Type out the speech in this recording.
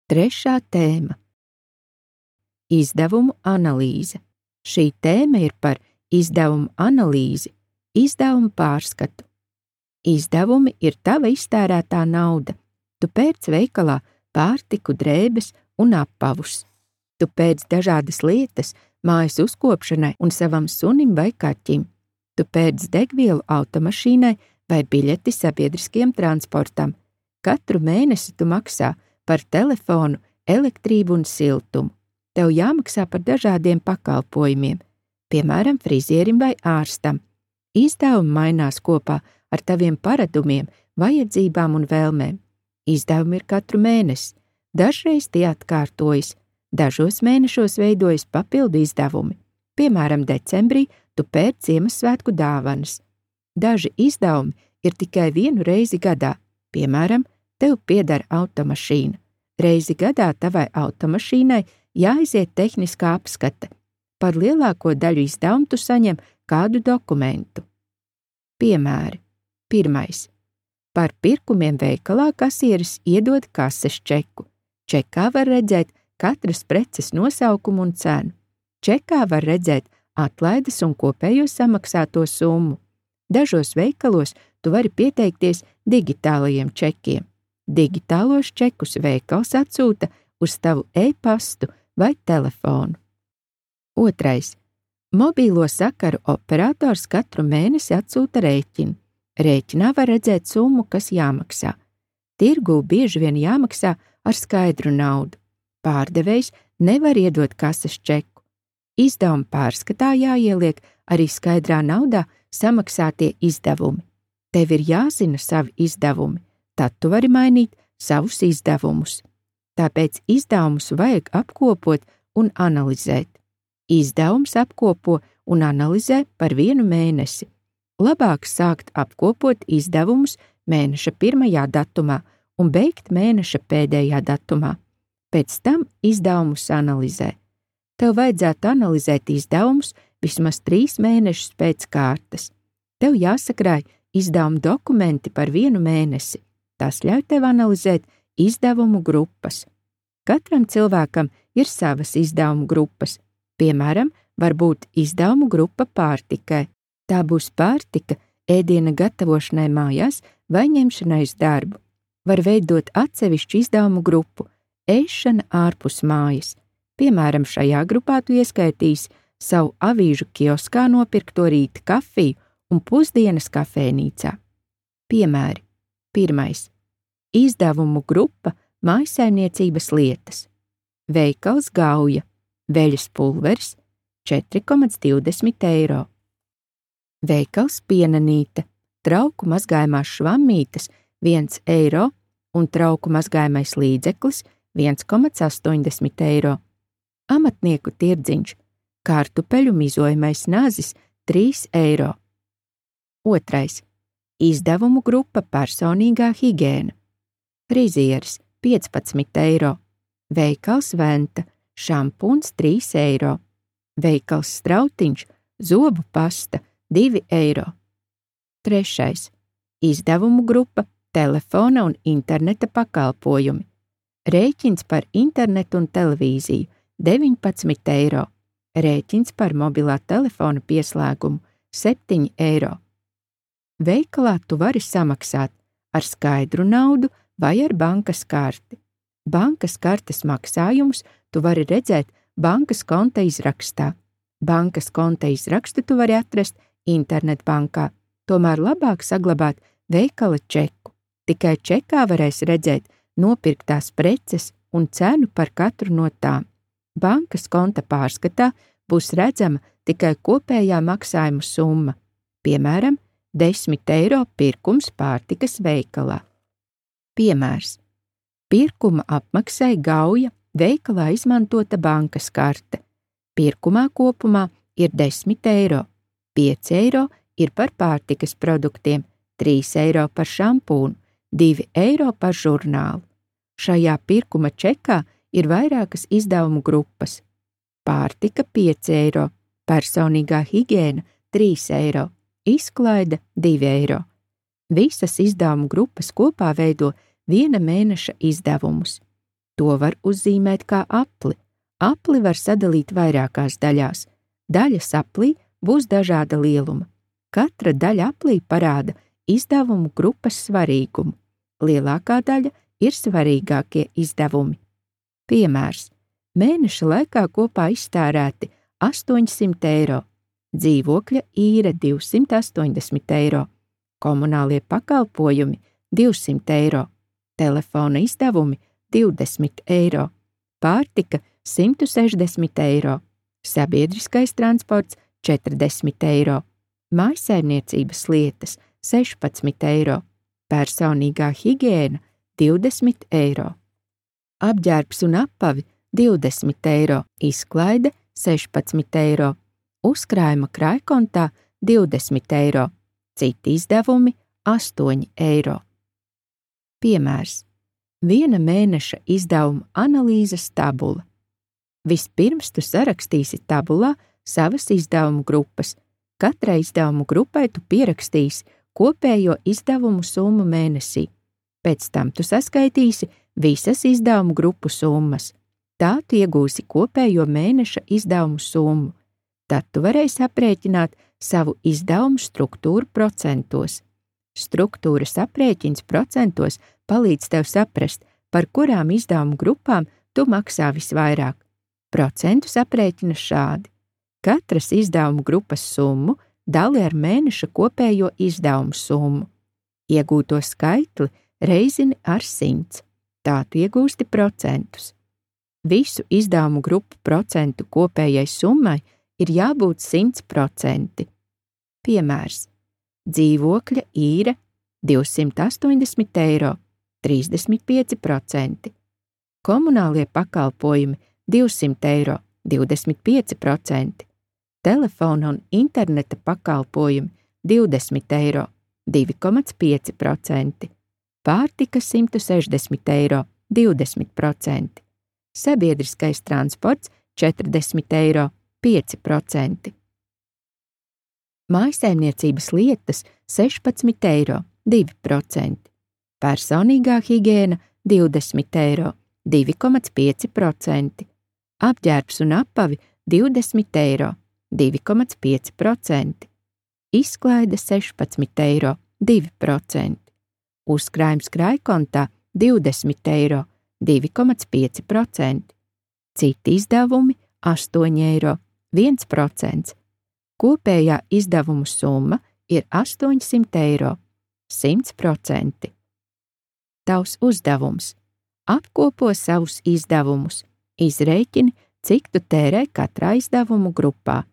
Trešā tēma – izdevumu analīze. Šī tēma ir par izdevumu analīzi, izdevumu pārskatu. Izdevumi ir tava iztērētā nauda. Tu pērc veikalā pārtiku, drēbes un apavus. Tu pērc dažādas lietas mājas uzkopšanai un savam sunim vai kaķim. Tu pērc degvielu automašīnai vai biļeti sabiedriskiem transportam. Katru mēnesi tu maksā par telefonu, elektrību un siltumu. Tev jāmaksā par dažādiem pakalpojumiem, piemēram, frizierim vai ārstam. Izdevumi mainās kopā ar taviem paradumiem, vajadzībām un vēlmēm. Izdevumi ir katru mēnesi, dažreiz tie atkārtojas, dažos mēnešos veidojas papildu izdevumi. Piemēram, decembrī tu pērc Ziemassvētku dāvanas. Daži izdevumi ir tikai vienu reizi gadā, piemēram, tev pieder automašīna. Reizi gadā tavai automašīnai jāaiziet tehniskā apskate. Par lielāko daļu izdevumu tu saņem kādu dokumentu. Piemēri. 1. Par pirkumiem veikalā kasieris iedod kases čeku. Čekā var redzēt katras preces nosaukumu un cenu. Čekā var redzēt atlaides un kopējo samaksāto summu. Dažos veikalos tu vari pieteikties digitālajiem čekiem. Digitālos čekus veikals atsūta uz tavu e-pastu vai telefonu. 2. Mobīlo sakaru operators katru mēnesi atsūta rēķinu. Rēķinā var redzēt summu, kas jāmaksā. Tirgū bieži vien jāmaksā ar skaidru naudu. Pārdevējs nevar iedot kases čeku. Izdevuma pārskatā jāieliek arī skaidrā naudā samaksātie izdevumi. Tev ir jāzina savi izdevumi, tad tu vari mainīt savus izdevumus. Tāpēc izdevumus vajag apkopot un analizēt. Izdevums apkopo un analizē par vienu mēnesi. Labāk sākt apkopot izdevumus mēneša 1. datumā un beigt mēneša pēdējā datumā. Pēc tam izdevumus analizē. Tev vajadzētu analizēt izdevumus vismaz 3 mēnešus pēc kārtas. Tev jāsakrāj izdevumu dokumenti par vienu mēnesi. Tas ļauj tev analizēt izdevumu grupas. Katram cilvēkam ir savas izdevumu grupas. Piemēram, var būt izdevumu grupa pārtikai. Tā būs pārtika ēdiena gatavošanai mājās vai ņemšanai uz darbu. Var veidot atsevišķu izdevumu grupu – ēšana ārpus mājas. Piemēram, šajā grupā tu ieskaitīsi savu avīžu kioskā nopirkto rīta kafiju un pusdienas kafejnīcā. Piemēri. 1. Izdevumu grupa mājsaimniecības lietas. Veikals Gauja, veļas pulveris 4,20 eiro. Veikals Pienanīte, trauku mazgājumās švammītes 1 eiro un trauku mazgājumais līdzeklis 1,80 eiro. Amatnieku tirdziņš, kartupeļu mizojamais nazis 3 eiro. 2. Izdevumu grupa personīgā higiēna. Frizieris 15 eiro. Veikals Venta, šampuns 3 eiro. Veikals Strautiņš, zobu pasta 2 eiro. 3. Izdevumu grupa telefona un interneta pakalpojumi. Rēķins par internetu un televīziju 19 eiro. Rēķins par mobilā telefona pieslēgumu 7 eiro. Veikalā tu vari samaksāt ar skaidru naudu vai ar bankas karti. Bankas kartes maksājumus tu vari redzēt bankas konta izrakstā. Bankas konta izrakstu tu vari atrast internetbankā, tomēr labāk saglabāt veikala čeku. Tikai čekā varēs redzēt nopirktās preces un cenu par katru no tām. Bankas konta pārskatā būs redzama tikai kopējā maksājuma summa, piemēram, 10 eiro pirkums pārtikas veikalā. Piemērs. Pirkuma apmaksai Gauja veikalā izmantota bankas karte. Pirkumā kopumā ir 10 eiro, 5 eiro ir par pārtikas produktiem, 3 eiro par šampūnu, 2 eiro par žurnālu. Šajā pirkuma čekā ir vairākas izdevumu grupas. Pārtika 5 eiro, personīgā higiēna 3 eiro, izklaide 2 eiro. Visas izdevumu grupas kopā veido viena mēneša izdevumus. To var uzzīmēt kā apli. Apli var sadalīt vairākās daļās. Daļas aplī būs dažāda lieluma. Katra daļa aplī parāda izdevumu grupas svarīgumu. Lielākā daļa ir svarīgākie izdevumi. Piemērs. Mēneša laikā kopā iztērēti 800 eiro, dzīvokļa īre 280 eiro, komunālie pakalpojumi 200 eiro, telefona izdevumi 20 eiro, pārtika 160 eiro, sabiedriskais transports 40 eiro, mājsaimniecības lietas 16 eiro, personīgā higiēna 20 eiro, apģērbs un apavi 20 eiro, izklaide 16 eiro, uzkrājuma krājkontā 20 eiro, citi izdevumi 8 eiro. Piemērs. Viena mēneša izdevuma analīzes tabula. Vispirms tu sarakstīsi tabulā savas izdevumu grupas. Katrai izdevumu grupai tu pierakstīsi kopējo izdevumu summu mēnesī. Pēc tam tu saskaitīsi visas izdevumu grupu summas. Tā tu iegūsi kopējo mēneša izdevumu summu. Tad tu varēsi aprēķināt savu izdevumu struktūru procentos. Struktūras aprēķins procentos palīdz tev saprast, par kurām izdevumu grupām tu maksā visvairāk. Procentus aprēķina šādi. Katras izdevumu grupas summu dali ar mēneša kopējo izdevumu summu. Iegūto skaitli reizini ar 100. Tā tu iegūsti procentus. Visu izdevumu grupu procentu kopējai summai ir jābūt 100%. Piemērs. Dzīvokļa īre 280 eiro, 35%. Komunālie pakalpojumi 200 eiro, 25%. Telefona un interneta pakalpojumi 20 eiro, 2,5%. Pārtika 160 eiro, 20%. Sabiedriskais transports 40 eiro, 5%. Mājsaimniecības lietas 16 eiro, 2%. Personīgā higiēna 20 eiro, 2,5%. Apģērbs un apavi 20 eiro, 2,5%. Izklaide 16 eiro, 2%. Uzkrājums krājkontā 20 eiro, 2,5%. Citi izdevumi 8 eiro, 1%. Kopējā izdevumu summa ir 800 eiro, 100%. Tavs uzdevums. Apkopo savus izdevumus, izrēķini, cik tu tērē katrā izdevumu grupā.